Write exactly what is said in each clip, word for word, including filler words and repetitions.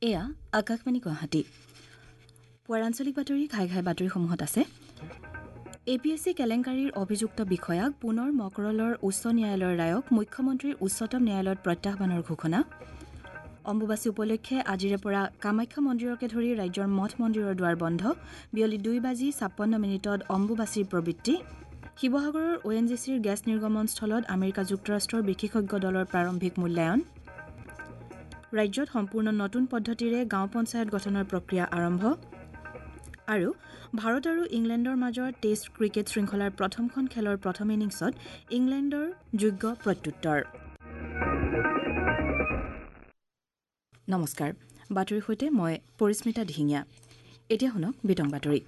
এয়া আকাশবাণী গুৱাহাটী। পুৱাৰ আঞ্চলিক বাতৰি ঘাই ঘাই বাতৰিসমূহত আছে এ পি এছ চি কেলেংকাৰীৰ অভিযুক্ত বিষয়াক পুনৰ মকৰলৰ উচ্চ ন্যায়ালয়ৰ ৰায়ক মুখ্যমন্ত্ৰীৰ উচ্চতম ন্যায়ালয়ত প্ৰত্যাহ্বানৰ ঘোষণা। অম্বুবাচী উপলক্ষে আজিৰে পৰা কামাখ্যা মন্দিৰকে ধৰি ৰাজ্যৰ মঠ মন্দিৰৰ দুৱাৰ বন্ধ। বিয়লি দুই বাজি ছাপন্ন মিনিটত অম্বুবাচীৰ প্ৰবৃত্তি। শিৱসাগৰৰ অ' এন জি চিৰ গেছ নিৰ্গমনস্থলত আমেৰিকা যুক্তৰাষ্ট্ৰৰ বিশেষজ্ঞ দলৰ প্ৰাৰম্ভিক মূল্যায়ন। ৰাজ্যত সম্পূৰ্ণ নতুন পদ্ধতিৰে গাঁও পঞ্চায়ত গঠনৰ প্ৰক্ৰিয়া আৰম্ভ। আৰু ভাৰত আৰু ইংলেণ্ডৰ মাজৰ টেষ্ট ক্ৰিকেট শৃংখলাৰ প্ৰথমখন খেলৰ প্ৰথম ইনিংছত ইংলেণ্ডৰ যোগ্য প্ৰত্যুত্তৰ। নমস্কাৰ, বাতৰিৰ সৈতে মই পৰিস্মিতা দিহিঙীয়া। এতিয়া শুনক বিতং বাতৰি।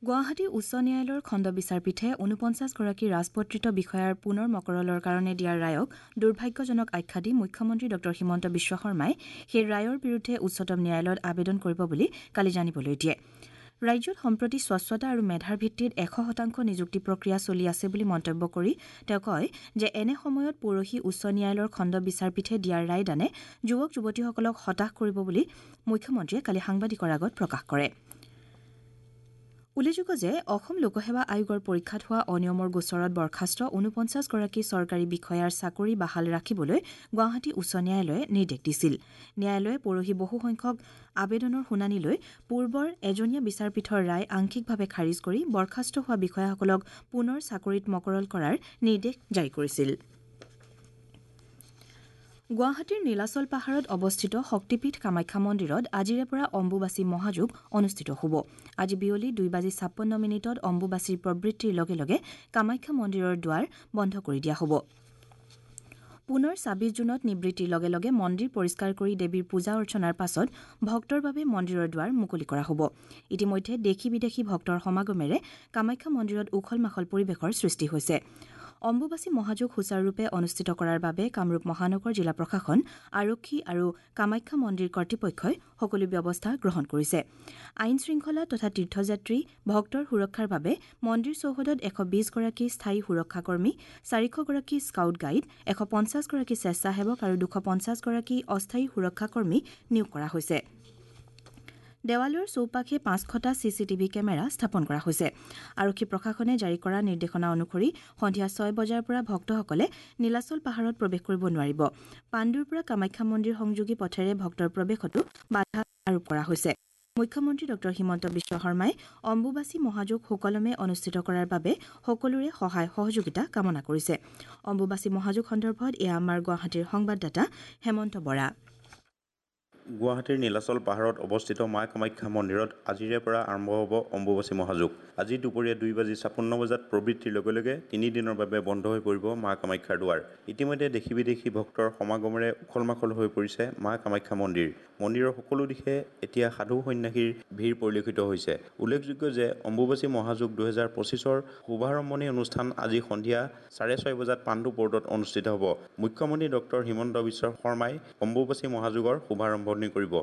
গুৱাহাটী উচ্চ ন্যায়ালয়ৰ খণ্ড বিচাৰপীঠে ঊনপঞ্চাছগৰাকী ৰাজপত্ৰিত বিষয়াৰ পুনৰ মকৰলৰ কাৰণে দিয়া ৰায়ক দুৰ্ভাগ্যজনক আখ্যা দি মুখ্যমন্ত্ৰী ডঃ হিমন্ত বিশ্ব শৰ্মাই সেই ৰায়ৰ বিৰুদ্ধে উচ্চতম ন্যায়ালয়ত আবেদন কৰিব বুলি কালি জানিবলৈ দিয়ে। ৰাজ্যত সম্প্ৰতি স্বচ্ছতা আৰু মেধাৰ ভিত্তিত এশ শতাংশ নিযুক্তি প্ৰক্ৰিয়া চলি আছে বুলি মন্তব্য কৰি তেওঁ কয় যে এনে সময়ত পৰহি উচ্চ ন্যায়ালয়ৰ খণ্ড বিচাৰপীঠে দিয়া ৰায়দানে যুৱক যুৱতীসকলক হতাশ কৰিব বুলি মুখ্যমন্ত্ৰীয়ে কালি সাংবাদিকৰ আগত প্ৰকাশ কৰে। উল্লেখযোগ্য যে অসম লোকসেৱা আয়োগৰ পৰীক্ষাত হোৱা অনিয়মৰ গোচৰত বৰ্খাস্ত ঊনপঞ্চাছগৰাকী চৰকাৰী বিষয়াৰ চাকৰি বাহাল ৰাখিবলৈ গুৱাহাটী উচ্চ ন্যায়ালয়ে নিৰ্দেশ দিছিল। ন্যায়ালয়ে পৰহি বহুসংখ্যক আবেদনৰ শুনানি লৈ পূৰ্বৰ এজনীয়া বিচাৰপীঠৰ ৰায় আংশিকভাৱে খাৰিজ কৰি বৰ্খাস্ত হোৱা বিষয়াসকলক পুনৰ চাকৰিত মকৰল কৰাৰ নিৰ্দেশ জাৰি কৰিছিল। গুৱাহাটীৰ নীলাচল পাহাৰত অৱস্থিত শক্তিপীঠ কামাখ্যা মন্দিৰত আজিৰে পৰা অম্বুবাচী মহাযোগ অনুষ্ঠিত হ'ব। আজি বিয়লি দুই বাজি ছাপন্ন মিনিটত অম্বুবাচীৰ প্ৰবৃত্তিৰ লগে লগে কামাখ্যা মন্দিৰৰ দুৱাৰ বন্ধ কৰি দিয়া হ'ব। পুনৰ ছাব্বিছ জুনত নিবৃত্তিৰ লগে লগে মন্দিৰ পৰিষ্কাৰ কৰি দেৱীৰ পূজা অৰ্চনাৰ পাছত ভক্তৰ বাবে মন্দিৰৰ দুৱাৰ মুকলি কৰা হ'ব। ইতিমধ্যে দেশী বিদেশী ভক্তৰ সমাগমেৰে কামাখ্যা মন্দিৰত উখল মাখল পৰিৱেশৰ সৃষ্টি হৈছে। অম্বুবাচী মহাযোগ সুচাৰুৰূপে অনুষ্ঠিত কৰাৰ বাবে কামৰূপ মহানগৰ জিলা প্ৰশাসন, আৰক্ষী আৰু কামাখ্যা মন্দিৰ কৰ্তৃপক্ষই সকলো ব্যৱস্থা গ্ৰহণ কৰিছে। আইন শৃংখলা তথা তীৰ্থযাত্ৰী ভক্তৰ সুৰক্ষাৰ বাবে মন্দিৰ চৌহদত এশ বিছগৰাকী স্থায়ী সুৰক্ষাকৰ্মী, চাৰিশগৰাকী স্কাউট গাইড, এশ পঞ্চাছগৰাকী স্বেচ্ছাসেৱক আৰু দুশ পঞ্চাছগৰাকী অস্থায়ী সুৰক্ষাকৰ্মী নিয়োগ কৰা হৈছে। দেৱালয়ৰ চৌপাশে পাঁচশটা চি চি টিভি কেমেৰা স্থাপন কৰা হৈছে। আৰক্ষী প্ৰশাসনে জাৰি কৰা নিৰ্দেশনা অনুসৰি সন্ধিয়া ছয় বজাৰ পৰা ভক্তসকলে নীলাচল পাহাৰত প্ৰৱেশ কৰিব নোৱাৰিব। পাণ্ডুৰ পৰা কামাখ্যা মন্দিৰ সংযোগী পথেৰে ভক্তৰ প্ৰৱেশতো বাধা আৰোপ কৰা হৈছে। মুখ্যমন্ত্ৰী ডঃ হিমন্ত বিশ্ব শৰ্মাই অম্বুবাচী মহাযোগ সুকলমে অনুষ্ঠিত কৰাৰ বাবে সকলোৰে সহায় সহযোগিতা কামনা কৰিছে। অম্বুবাচী মহাযোগ সন্দৰ্ভত এয়া আমাৰ গুৱাহাটীৰ সংবাদদাতা হেমন্ত বৰা। গুৱাহাটীৰ নীলাচল পাহাৰত অৱস্থিত মা কামাখ্যা মন্দিৰত আজিৰে পৰা আৰম্ভ হ'ব অম্বুবাচী মহাযোগ। আজি দুপৰীয়া দুই বাজি ছাপন্ন বজাত প্ৰবৃত্তিৰ লগে লগে তিনিদিনৰ বাবে বন্ধ হৈ পৰিব মা কামাখ্যাৰ দুৱাৰ। ইতিমধ্যে দেশী বিদেশী ভক্তৰ সমাগমেৰে উখল মাখল হৈ পৰিছে মা কামাখ্যা মন্দিৰ। মন্দিৰৰ সকলো দিশে এতিয়া সাধু সন্যাসীৰ ভিৰ পৰিলক্ষিত হৈছে। উল্লেখযোগ্য যে অম্বুবাচী মহাযোগ দুহেজাৰ পঁচিছৰ শুভাৰম্ভণি অনুষ্ঠান আজি সন্ধিয়া চাৰে ছয় বজাত পাণ্ডু পৰ্টত অনুষ্ঠিত হ'ব। মুখ্যমন্ত্ৰী ডক্টৰ হিমন্ত বিশ্ব শৰ্মাই অম্বুবাচী মহাযোগৰ শুভাৰম্ভণি কৰিব।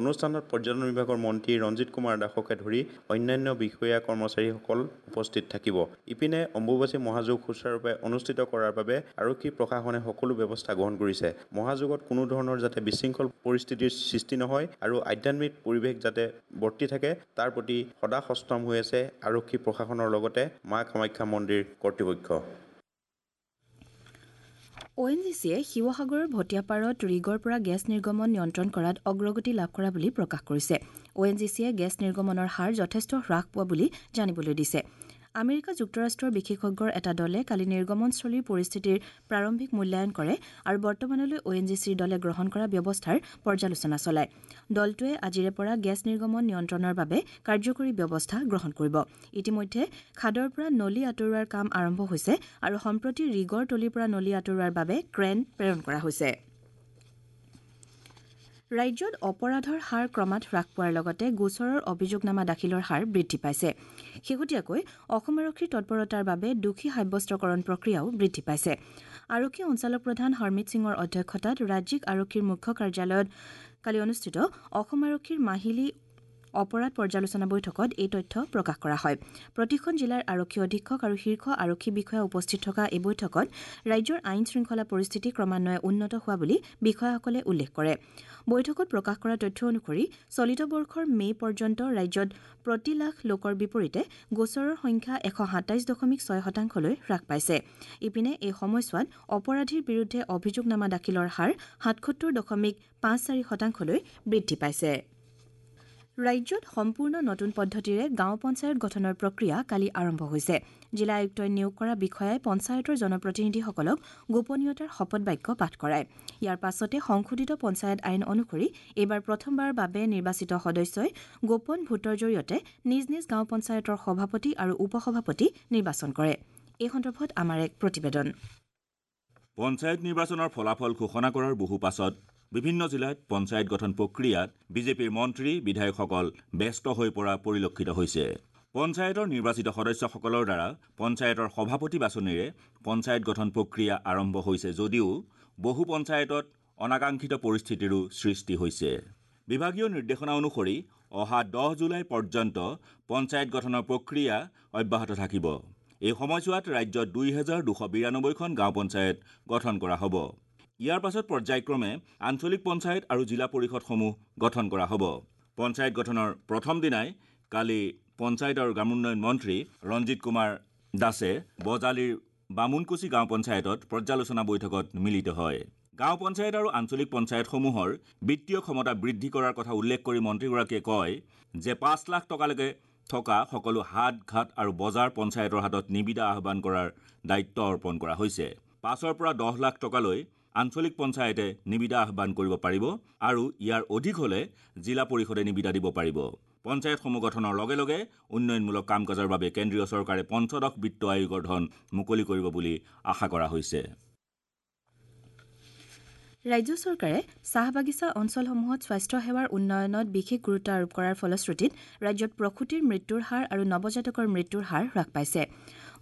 অনুষ্ঠানত পৰ্যটন বিভাগৰ মন্ত্ৰী ৰঞ্জিত কুমাৰ দাসকে ধৰি অন্যান্য বিষয়া কৰ্মচাৰীসকল উপস্থিত থাকিব। ইপিনে অম্বুবাচী মহাযোগ সুচাৰুৰূপে অনুষ্ঠিত কৰাৰ বাবে আৰক্ষী প্ৰশাসনে সকলো ব্যৱস্থা গ্ৰহণ কৰিছে। মহাযোগত কোনো ধৰণৰ যাতে বিশৃংখল পৰিস্থিতিৰ সৃষ্টি নহয় আৰু আধ্যাত্মিক পৰিৱেশ যাতে বৰ্তি থাকে তাৰ প্ৰতি সদা সষ্টম হৈ আছে আৰক্ষী প্ৰশাসনৰ লগতে মা কামাখ্যা মন্দিৰ কৰ্তৃপক্ষ। অ' এন জি চিয়ে শিৱসাগৰৰ ভটিয়াপাৰত ৰিগৰ পৰা গেছ নিৰ্গমন নিয়ন্ত্ৰণ কৰাত অগ্ৰগতি লাভ কৰা বুলি প্ৰকাশ কৰিছে। অ' এন জি চিয়ে গেছ নিৰ্গমনৰ হাৰ যথেষ্ট হ্ৰাস পোৱা বুলি জানিবলৈ দিছে। আমেৰিকা যুক্তৰাষ্ট্ৰৰ বিশেষজ্ঞৰ এটা দলে কালি নিৰ্গমনস্থলীৰ পৰিস্থিতিৰ প্ৰাৰম্ভিক মূল্যায়ন কৰে আৰু বৰ্তমানলৈ অ' এন জি চিৰ দলে গ্ৰহণ কৰা ব্যৱস্থাৰ পৰ্যালোচনা চলায়। দলটোৱে আজিৰে পৰা গেছ নিৰ্গমন নিয়ন্ত্ৰণৰ বাবে কাৰ্যকৰী ব্যৱস্থা গ্ৰহণ কৰিব। ইতিমধ্যে খাদৰ পৰা নলী আঁতৰোৱাৰ কাম আৰম্ভ হৈছে আৰু সম্প্ৰতি ৰিগৰ তলিৰ পৰা নলী আঁতৰোৱাৰ বাবে ক্ৰেন প্ৰেৰণ কৰা হৈছে। ৰাজ্যত অপৰাধৰ হাৰ ক্ৰমাৎ হ্ৰাস পোৱাৰ লগতে গোচৰৰ অভিযোগনামা দাখিলৰ হাৰ বৃদ্ধি পাইছে। শেহতীয়াকৈ অসম আৰক্ষীৰ তৎপৰতাৰ বাবে দোষী সাব্যস্তকৰণ প্ৰক্ৰিয়াও বৃদ্ধি পাইছে। আৰক্ষী সঞ্চালক প্ৰধান হৰমিত সিঙৰ অধ্যক্ষতাত ৰাজ্যিক আৰক্ষীৰ মুখ্য কাৰ্যালয়ত কালি অনুষ্ঠিত অসম আৰক্ষীৰ মাহিলী অপৰাধ পৰ্যালোচনা বৈঠকত এই তথ্য প্ৰকাশ কৰা হয়। প্ৰতিখন জিলাৰ আৰক্ষী অধীক্ষক আৰু শীৰ্ষ আৰক্ষী বিষয়া উপস্থিত থকা এই বৈঠকত ৰাজ্যৰ আইন শৃংখলা পৰিস্থিতি ক্ৰমান্বয়ে উন্নত হোৱা বুলি বিষয়াসকলে উল্লেখ কৰে। বৈঠকত প্ৰকাশ কৰা তথ্য অনুসৰি চলিত বৰ্ষৰ মে' পৰ্যন্ত ৰাজ্যত প্ৰতি লাখ লোকৰ বিপৰীতে গোচৰৰ সংখ্যা এশ সাতাইছ দশমিক ছয় শতাংশলৈ হ্ৰাস পাইছে। ইপিনে এই সময়ছোৱাত অপৰাধীৰ বিৰুদ্ধে অভিযোগনামা দাখিলৰ হাৰ সাতসত্তৰ দশমিক পাঁচ চাৰি শতাংশলৈ বৃদ্ধি পাইছে। ৰাজ্যত সম্পূৰ্ণ নতুন পদ্ধতিৰে গাঁও পঞ্চায়ত গঠনৰ প্ৰক্ৰিয়া কালি আৰম্ভ হৈছে। জিলা আয়ুক্তই নিয়োগ কৰা বিষয়াই পঞ্চায়তৰ জনপ্ৰতিনিধিসকলক গোপনীয়তাৰ শপত বাক্য পাঠ কৰায়। ইয়াৰ পাছতে সংশোধিত পঞ্চায়ত আইন অনুসৰি এইবাৰ প্ৰথমবাৰৰ বাবে নিৰ্বাচিত সদস্যই গোপন ভোটৰ জৰিয়তে নিজ নিজ গাঁও পঞ্চায়তৰ সভাপতি আৰু উপ-সভাপতি নিৰ্বাচন কৰে। এই সন্দৰ্ভত আমাৰ এক প্ৰতিবেদন। পঞ্চায়ত নিৰ্বাচনৰ ফলাফল ঘোষণা কৰাৰ বহু পাছত বিভিন্ন জিলাত পঞ্চায়ত গঠন প্ৰক্ৰিয়াত বিজেপিৰ মন্ত্ৰী বিধায়কসকল ব্যস্ত হৈ পৰা পৰিলক্ষিত হৈছে। পঞ্চায়তৰ নিৰ্বাচিত সদস্যসকলৰ দ্বাৰা পঞ্চায়তৰ সভাপতি বাছনিৰে পঞ্চায়ত গঠন প্ৰক্ৰিয়া আৰম্ভ হৈছে যদিও বহু পঞ্চায়তত অনাকাংক্ষিত পৰিস্থিতিৰো সৃষ্টি হৈছে। বিভাগীয় নিৰ্দেশনা অনুসৰি অহা দহ জুলাই পৰ্যন্ত পঞ্চায়ত গঠনৰ প্ৰক্ৰিয়া অব্যাহত থাকিব। এই সময়ছোৱাত ৰাজ্যত দুই হেজাৰ দুশ বিৰানব্বৈখন গাঁও পঞ্চায়ত গঠন কৰা হ'ব। ইয়াৰ পাছত পৰ্যায়ক্ৰমে আঞ্চলিক পঞ্চায়ত আৰু জিলা পৰিষদসমূহ গঠন কৰা হ'ব। পঞ্চায়ত গঠনৰ প্ৰথম দিনাই কালি পঞ্চায়ত আৰু গ্ৰামোন্নয়ন মন্ত্ৰী ৰঞ্জিত কুমাৰ দাসে বজালীৰ বামুণকুচি গাঁও পঞ্চায়তত পৰ্যালোচনা বৈঠকত মিলিত হয়। গাঁও পঞ্চায়ত আৰু আঞ্চলিক পঞ্চায়তসমূহৰ বিত্তীয় ক্ষমতা বৃদ্ধি কৰাৰ কথা উল্লেখ কৰি মন্ত্ৰীগৰাকীয়ে কয় যে পাঁচ লাখ টকালৈকে থকা সকলো হাট ঘাট আৰু বজাৰ পঞ্চায়তৰ হাতত নিবিদা আহ্বান কৰাৰ দায়িত্ব অৰ্পণ কৰা হৈছে। পাঁচৰ পৰা দহ লাখ টকালৈ আঞ্চলিক পঞ্চায়তে নিবিদা আহ্বান কৰিব পাৰিব আৰু ইয়াৰ অধিক হ'লে জিলা পৰিষদে নিবিদা দিব পাৰিব। পঞ্চায়তসমূহ গঠনৰ লগে লগে উন্নয়নমূলক কাম কাজৰ বাবে কেন্দ্ৰীয় চৰকাৰে পঞ্চদশ বিত্ত আয়োগৰ ধন মুকলি কৰিব বুলি আশা কৰা হৈছে। ৰাজ্য চৰকাৰে চাহ বাগিচা অঞ্চলসমূহত স্বাস্থ্য সেৱাৰ উন্নয়নত বিশেষ গুৰুত্ব আৰোপ কৰাৰ ফলশ্ৰুতিত ৰাজ্যত প্ৰসূতিৰ মৃত্যুৰ হাৰ আৰু নৱজাতকৰ মৃত্যুৰ হাৰ হ্ৰাস পাইছে।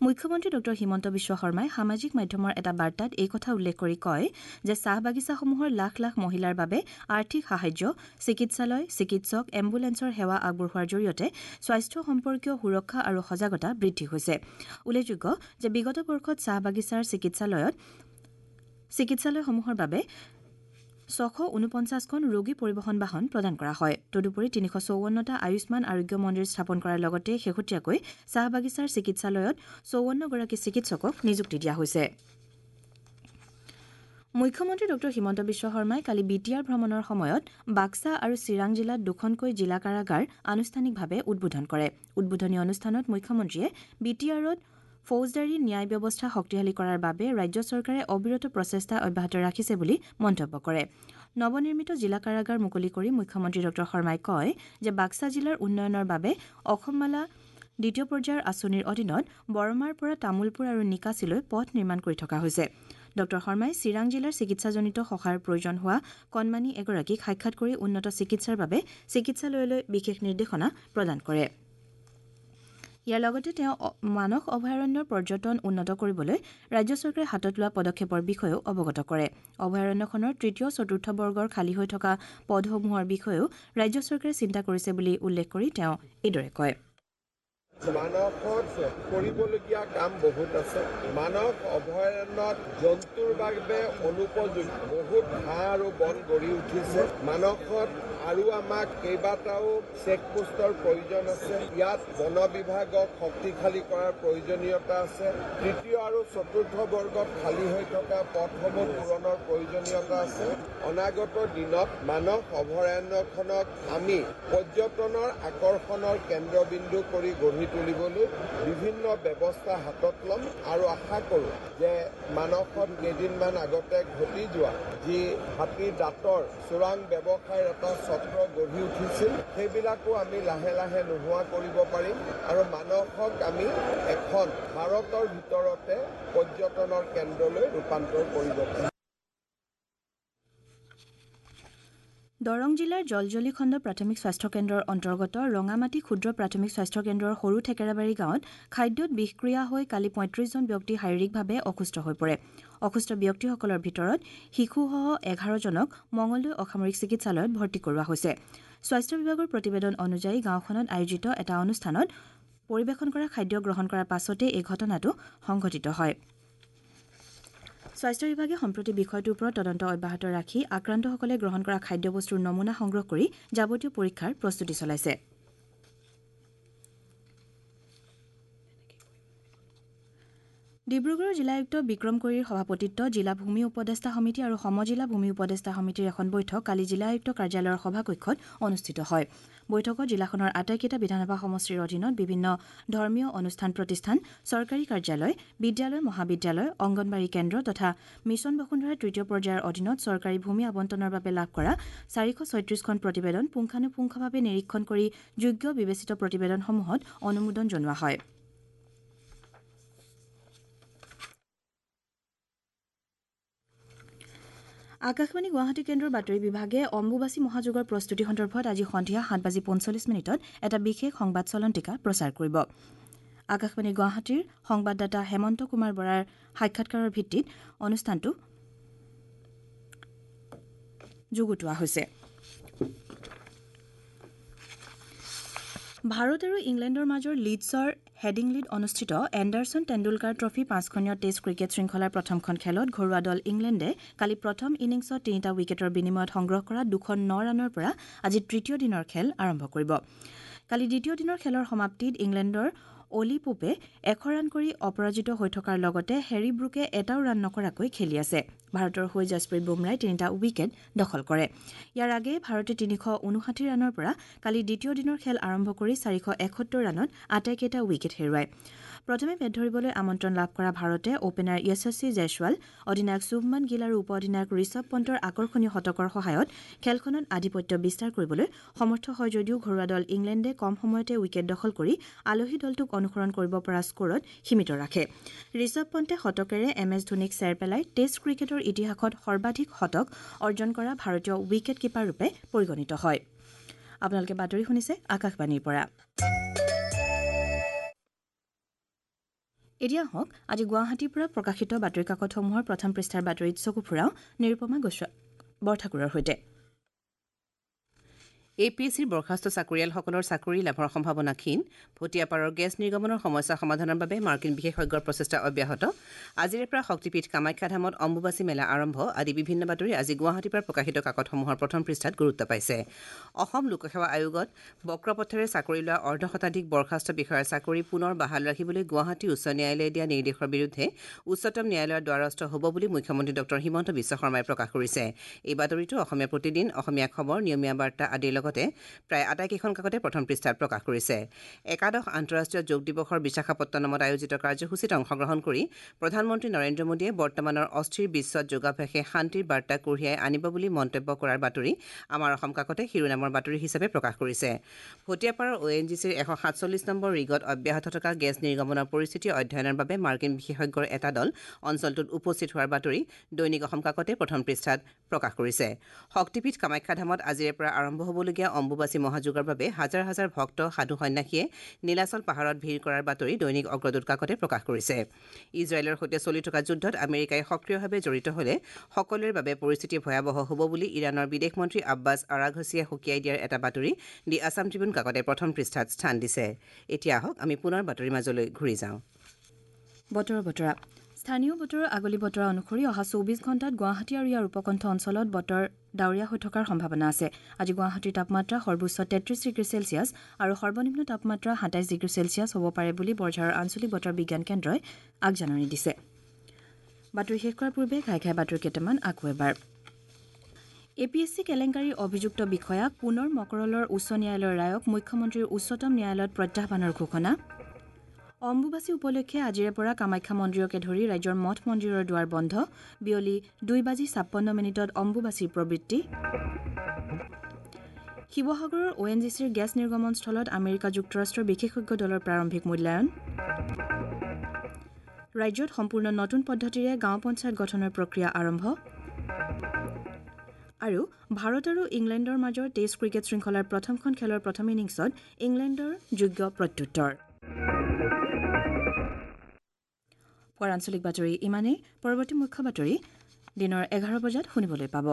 মুখ্যমন্ত্ৰী ডঃ হিমন্ত বিশ্ব শৰ্মাই সামাজিক মাধ্যমৰ এটা বাৰ্তাত এই কথা উল্লেখ কৰি কয় যে চাহ বাগিচাসমূহৰ লাখ লাখ মহিলাৰ বাবে আৰ্থিক সাহায্য, চিকিৎসালয়, চিকিৎসক, এম্বুলেন্সৰ সেৱা আগবঢ়োৱাৰ জৰিয়তে স্বাস্থ্য সম্পৰ্কীয় সুৰক্ষা আৰু সজাগতা বৃদ্ধি হৈছে। উল্লেখযোগ্য যে বিগত বৰ্ষত চাহ বাগিচাৰ চিকিৎসালয়ত চিকিৎসালয়সমূহৰ বাবে ছশ ঊনপঞ্চাছখন ৰোগী পৰিবহণ বাহন প্ৰদান কৰা হয়। তদুপৰি তিনিশ চৌৱন্নটা আয়ুষ্মান আৰোগ্য মন্দিৰ স্থাপন কৰাৰ লগতে শেহতীয়াকৈ চাহ বাগিচাৰ চিকিৎসালয়ত চৌৱন্নগৰাকী চিকিৎসকক নিযুক্তি দিয়া হৈছে। মুখ্যমন্ত্ৰী ডঃ হিমন্ত বিশ্ব শৰ্মাই কালি বি টি আৰ ভ্ৰমণৰ সময়ত বাক্সা আৰু চিৰাং জিলাত দুখনকৈ জিলা কাৰাগাৰ আনুষ্ঠানিকভাৱে উদ্বোধন কৰে। উদ্বোধনী অনুষ্ঠানত মুখ্যমন্ত্ৰীয়ে বি টি আৰত ফৌজদাৰী ন্যায় ব্যৱস্থা শক্তিশালী কৰাৰ বাবে ৰাজ্য চৰকাৰে অবিৰত প্ৰচেষ্টা অব্যাহত ৰাখিছে বুলি মন্তব্য কৰে। নৱনিৰ্মিত জিলা কাৰাগাৰ মুকলি কৰি মুখ্যমন্ত্ৰী ডঃ শৰ্মাই কয় যে বাক্সা জিলাৰ উন্নয়নৰ বাবে অসমমালা দ্বিতীয় পৰ্যায়ৰ আঁচনিৰ অধীনত বৰমাৰ পৰা তামোলপুৰ আৰু নিকাছিলৈ পথ নিৰ্মাণ কৰি থকা হৈছে। ডঃ শৰ্মাই চিৰাং জিলাৰ চিকিৎসাজনিত সহায়ৰ প্ৰয়োজন হোৱা কণমানি এগৰাকীক সাক্ষাৎ কৰি উন্নত চিকিৎসাৰ বাবে চিকিৎসালয়লৈ বিশেষ নিৰ্দেশনা প্ৰদান কৰে। ইয়াৰ লগতে তেওঁ মানস অভয়াৰণ্যৰ পৰ্যটন উন্নত কৰিবলৈ ৰাজ্য চৰকাৰে হাতত লোৱা পদক্ষেপৰ বিষয়েও অৱগত কৰে। অভয়াৰণ্যখনৰ তৃতীয় চতুৰ্থ বৰ্গৰ খালী হৈ থকা পদসমূহৰ বিষয়েও ৰাজ্য চৰকাৰে চিন্তা কৰিছে বুলি উল্লেখ কৰি তেওঁ এইদৰে কয়। মানসত কৰিবলগীয়া কাম বহুত আছে। মানস অভয়াৰণ্যত জন্তুৰ বাবে অনুপযোগী বহুত ঘাঁহ আৰু বন গঢ়ি উঠিছে। মানসত আৰু আমাক কেইবাটাও চেকপোষ্টৰ প্ৰয়োজন আছে। ইয়াত বন বিভাগক শক্তিশালী কৰাৰ প্ৰয়োজনীয়তা আছে। তৃতীয় আৰু চতুৰ্থ বৰ্গত খালী হৈ থকা পথসমূহ পূৰণৰ প্ৰয়োজনীয়তা আছে। অনাগত দিনত মানস অভয়াৰণ্যখনক আমি পৰ্যটনৰ আকৰ্ষণৰ কেন্দ্ৰবিন্দু কৰি গঢ়ি তুলিবলৈ বিভিন্ন ব্যৱস্থা হাতত ল'ম আৰু আশা কৰোঁ যে মানসত কেইদিনমান আগতে ঘটি যোৱা যি হাতীৰ দাঁতৰ চোৰাং ব্যৱসায়ৰ এটা চক্ৰ গঢ়ি উঠিছিল, সেইবিলাকো আমি লাহে লাহে নোহোৱা কৰিব পাৰিম আৰু মানসক আমি এখন ভাৰতৰ ভিতৰতে পৰ্যটনৰ কেন্দ্ৰলৈ ৰূপান্তৰ কৰিব পাৰিম। দৰং জিলাৰ জলজলি খণ্ড প্ৰাথমিক স্বাস্থ্য কেন্দ্ৰৰ অন্তৰ্গত ৰঙামাটি ক্ষুদ্ৰ প্ৰাথমিক স্বাস্থ্য কেন্দ্ৰৰ সৰু থেকেৰাবাৰী গাঁৱত খাদ্যত বিষক্ৰিয়া হৈ কালি পঁয়ত্ৰিছজন ব্যক্তি শাৰীৰিকভাৱে অসুস্থ হৈ পৰে। অসুস্থ ব্যক্তিসকলৰ ভিতৰত শিশুসহ এঘাৰজনক মঙলদৈ অসামৰিক চিকিৎসালয়ত ভৰ্তি কৰোৱা হৈছে। স্বাস্থ্য বিভাগৰ প্ৰতিবেদন অনুযায়ী গাঁওখনত আয়োজিত এটা অনুষ্ঠানত পৰিৱেশন কৰা খাদ্য গ্ৰহণ কৰাৰ পাছতে এই ঘটনাটো সংঘটিত হয়। স্বাস্থ্য বিভাগে সম্প্ৰতি বিষয়টোৰ ওপৰত তদন্ত অব্যাহত ৰাখি আক্ৰান্তসকলে গ্ৰহণ কৰা খাদ্যবস্তুৰ নমুনা সংগ্ৰহ কৰি যাৱতীয় পৰীক্ষাৰ প্ৰস্তুতি চলাইছে। ডিব্ৰুগড়ৰ জিলা আয়ুক্ত বিক্ৰম কৈৰীৰ সভাপতিত্বত জিলা ভূমি উপদেষ্টা সমিতি আৰু সমজিলা ভূমি উপদেষ্টা সমিতিৰ এখন বৈঠক কালি জিলা আয়ুক্ত কাৰ্যালয়ৰ সভাকক্ষত অনুষ্ঠিত হয়। বৈঠকত জিলাখনৰ আটাইকেইটা বিধানসভা সমষ্টিৰ অধীনত বিভিন্ন ধৰ্মীয় অনুষ্ঠান প্ৰতিষ্ঠান, চৰকাৰী কাৰ্যালয়, বিদ্যালয়, মহাবিদ্যালয়, অংগনবাড়ী কেন্দ্ৰ তথা মিছন বসুন্ধৰাৰ তৃতীয় পৰ্যায়ৰ অধীনত চৰকাৰী ভূমি আবণ্টনৰ বাবে লাভ কৰা চাৰিশ ছয়ত্ৰিশখন প্ৰতিবেদন পুংখানুপুংখভাৱে নিৰীক্ষণ কৰি যোগ্য বিবেচিত প্ৰতিবেদনসমূহত অনুমোদন জনোৱা হয়। আকাশবাণী গুৱাহাটী কেন্দ্ৰৰ বাতৰি বিভাগে অম্বুবাচী মহাযোগৰ প্ৰস্তুতি সন্দৰ্ভত আজি সন্ধিয়া সাত বাজি পঞ্চল্লিছ মিনিটত এটা বিশেষ সংবাদ চলন্তিকা প্ৰচাৰ কৰিব। আকাশবাণী গুৱাহাটীৰ সংবাদদাতা হেমন্ত কুমাৰ বৰাৰ সাক্ষাৎকাৰৰ ভিত্তিত অনুষ্ঠানটো যুগুতোৱা হৈছে। ভাৰত আৰু ইংলেণ্ডৰ মাজৰ লিডছৰ হেডিংলিত অনুষ্ঠিত এণ্ডাৰছন টেণ্ডুলকাৰ ট্ৰফী পাঁচখনীয় টেষ্ট ক্ৰিকেট শৃংখলাৰ প্ৰথমখন খেলত ঘৰুৱা দল ইংলেণ্ডে কালি প্ৰথম ইনিংছত তিনিটা উইকেটৰ বিনিময়ত সংগ্ৰহ কৰা দুশ ন ৰানৰ পৰা আজি তৃতীয় দিনৰ খেল আৰম্ভ কৰিব। কালি দ্বিতীয় দিনৰ খেলৰ সমাপ্তিত ইংলেণ্ডৰ অলি পোপে এশ ৰান কৰি অপৰাজিত হৈ থকাৰ লগতে হেৰী ব্ৰুকে এটাও ৰান নকৰাকৈ খেলি আছে। ভাৰতৰ হৈ জছপ্ৰীত বুমৰাই তিনিটা উইকেট দখল কৰে। ইয়াৰ আগেয়ে ভাৰতে তিনিশ ঊনষাঠি ৰানৰ পৰা কালি দ্বিতীয় দিনৰ খেল আৰম্ভ কৰি চাৰিশ এসত্তৰ ৰানত আটাইকেইটা উইকেট হেৰুৱায়। প্ৰথমে বেট ধৰিবলৈ আমন্ত্ৰণ লাভ কৰা ভাৰতে অ'পেনাৰ য়শস্বী জয়ছৱাল, অধিনায়ক শুভমন গিল আৰু উপ অধিনায়ক ঋষভ পণ্টৰ আকৰ্ষণীয় শতকৰ সহায়ত খেলখনত আধিপত্য বিস্তাৰ কৰিবলৈ সমৰ্থ হয় যদিও ঘৰুৱা দল ইংলেণ্ডে কম সময়তে উইকেট দখল কৰি আলহী দলটোক অনুসৰণ কৰিব পৰা স্ক'ৰত সীমিত ৰাখে। ঋষভ পণ্টে শতকেৰে এম এছ ধোনীক চেৰ পেলাই টেষ্ট ক্ৰিকেটৰ ইতিহাসত সৰ্বাধিক শতক অৰ্জন কৰা ভাৰতীয় উইকেট কিপাৰ ৰূপে পৰিগণিত হয়। আপোনালোকে বাতৰি শুনিছে আকাশবাণীৰ পৰা। এতিয়া হওক আজি গুৱাহাটীৰ পৰা প্ৰকাশিত বাতৰি কাকতসমূহৰ প্ৰথম পৃষ্ঠাৰ বাতৰিত চকু ফুৰাওঁ নিৰুপমা গোস্বামী বৰঠাকুৰৰ সৈতে। এ পি এছ চিৰ বৰ্খাস্ত চাকৰিয়ালসকলৰ চাকৰি লাভৰ সম্ভাৱনা ক্ষীণ। ভটিয়াপাৰৰ গেছ নিৰ্গমনৰ সমস্যা সমাধানৰ বাবে মাৰ্কিন বিশেষজ্ঞৰ প্ৰচেষ্টা অব্যাহত। আজিৰে পৰা শক্তিপীঠ কামাখ্যা ধামত অম্বুবাচী মেলা আৰম্ভ আদি বিভিন্ন বাতৰি আজি গুৱাহাটীৰ পৰা প্ৰকাশিত কাকতসমূহৰ প্ৰথম পৃষ্ঠাত গুৰুত্ব পাইছে। অসম লোকসেৱা আয়োগত বক্ৰপথেৰে চাকৰি লোৱা অৰ্ধ শতাধিক বৰ্খাস্ত বিষয়াৰ চাকৰি পুনৰ বাহাল ৰাখিবলৈ গুৱাহাটী উচ্চ ন্যায়ালয়ে দিয়া নিৰ্দেশৰ বিৰুদ্ধে উচ্চতম ন্যায়ালয়ৰ দ্বাৰস্থ হ'ব বুলি মুখ্যমন্ত্ৰী ডক্টৰ হিমন্ত বিশ্ব শৰ্মাই প্ৰকাশ কৰিছে। এই বাতৰিটো অসমীয়া প্ৰতিদিন, অসমীয়া খবৰ, নিয়মীয়া বাৰ্তা আদিৰ লগত প্ৰায় আটাইকেইখন কাকতে প্ৰথম পৃষ্ঠাত প্ৰকাশ কৰিছে। একাদশ আন্তঃৰাষ্ট্ৰীয় যোগ দিৱসৰ বিশাখাপট্টনমত আয়োজিত কাৰ্যসূচীত অংশগ্ৰহণ কৰি প্ৰধানমন্ত্ৰী নৰেন্দ্ৰ মোদীয়ে বৰ্তমানৰ অস্থিৰ বিশ্বত যোগাভ্যাসে শান্তিৰ বাৰ্তা কঢ়িয়াই আনিব বুলি মন্তব্য কৰাৰ বাতৰি আমাৰ অসম কাকতে শিৰোনামৰ বাতৰি হিচাপে প্ৰকাশ কৰিছে। ভটিয়াপাৰৰ অ' এন জি চিৰ এশ সাতচল্লিছ নম্বৰ ৰিগত অব্যাহত থকা গেছ নিৰ্গমনৰ পৰিস্থিতি অধ্যয়নৰ বাবে মাৰ্কিন বিশেষজ্ঞৰ এটা দল অঞ্চলটোত উপস্থিত হোৱাৰ বাতৰি দৈনিক অসম কাকতে প্ৰথম পৃষ্ঠাত প্ৰকাশ কৰিছে। শক্তিপীঠ কামাখ্যা ধামত আজিৰে পৰা আৰম্ভ হ'বলগীয়া অম্বুবাচী মহাযোগৰ বাবে হাজাৰ হাজাৰ ভক্ত সাধু সন্যাসীয়ে নীলাচল পাহাৰত ভিৰ কৰাৰ বাতৰি দৈনিক অগ্ৰদূত কাকতে প্ৰকাশ কৰিছে। ইজৰাইলৰ সৈতে চলি থকা যুদ্ধত আমেৰিকাই সক্ৰিয়ভাৱে জড়িত হ'লে সকলোৰে বাবে পৰিস্থিতি ভয়াৱহ হ'ব বুলি ইৰাণৰ বিদেশ মন্ত্ৰী আব্বাছ আৰাঘছিয়ে সকীয়াই দিয়াৰ এটা বাতৰি দি আছাম ট্ৰিবিউন কাকতে প্ৰথম পৃষ্ঠাত স্থান দিছে। এতিয়া আহক আমি পুনৰ বাতৰিৰ মাজলৈ ঘূৰি যাওঁ। বতৰৰ বতৰা। স্থানীয় বতৰৰ আগলি বতৰা অনুসৰি অহা চৌবিছ ঘণ্টাত গুৱাহাটী আৰু ইয়াৰ উপকণ্ঠ অঞ্চলত বতৰ ডাৱৰীয়া হৈ থকাৰ সম্ভাৱনা আছে। আজি গুৱাহাটীৰ তাপমাত্ৰা সৰ্বোচ্চ তেত্ৰিছ ডিগ্ৰী চেলছিয়াছ আৰু সৰ্বনিম্ন তাপমাত্ৰা সাতাইছ ডিগ্ৰী চেলছিয়াছ হ'ব পাৰে বুলি বৰঝাৰৰ আঞ্চলিক বতৰ বিজ্ঞান কেন্দ্ৰই আগজাননী দিছে। বাতৰি শেষ কৰাৰ পূৰ্বে ঘাই ঘাই বাতৰি কেইটামান আকৌ এবাৰ। এ পি এছ চি কেলেংকাৰীৰ অভিযুক্ত বিষয়াক পুনৰ মকৰলৰ উচ্চ ন্যায়ালয়ৰ ৰায়ক মুখ্যমন্ত্ৰীৰ উচ্চতম ন্যায়ালয়ত প্ৰত্যাহ্বানৰ ঘোষণা। অম্বুবাচী উপলক্ষে আজিৰে পৰা কামাখ্যা মন্দিৰকে ধৰি ৰাজ্যৰ মঠ মন্দিৰৰ দুৱাৰ বন্ধ। বিয়লি দুই বাজি ছাপন্ন মিনিটত অম্বুবাচীৰ প্ৰবৃত্তি। শিৱসাগৰৰ অ' এন জি চিৰ গেছ নিৰ্গমন স্থলত আমেৰিকা যুক্তৰাষ্ট্ৰৰ বিশেষজ্ঞ দলৰ প্ৰাৰম্ভিক মূল্যায়ন। ৰাজ্যত সম্পূৰ্ণ নতুন পদ্ধতিৰে গাঁও পঞ্চায়ত গঠনৰ প্ৰক্ৰিয়া আৰম্ভ। আৰু ভাৰত আৰু ইংলেণ্ডৰ মাজৰ টেষ্ট ক্ৰিকেট শৃংখলাৰ প্ৰথমখন খেলৰ প্ৰথম ইনিংছত ইংলেণ্ডৰ যোগ্য প্ৰত্যুত্তৰ। পুৱাৰ আঞ্চলিক বাতৰি ইমানেই। পৰৱৰ্তী মুখ্য বাতৰি দিনৰ এঘাৰ বজাত শুনিবলৈ পাব।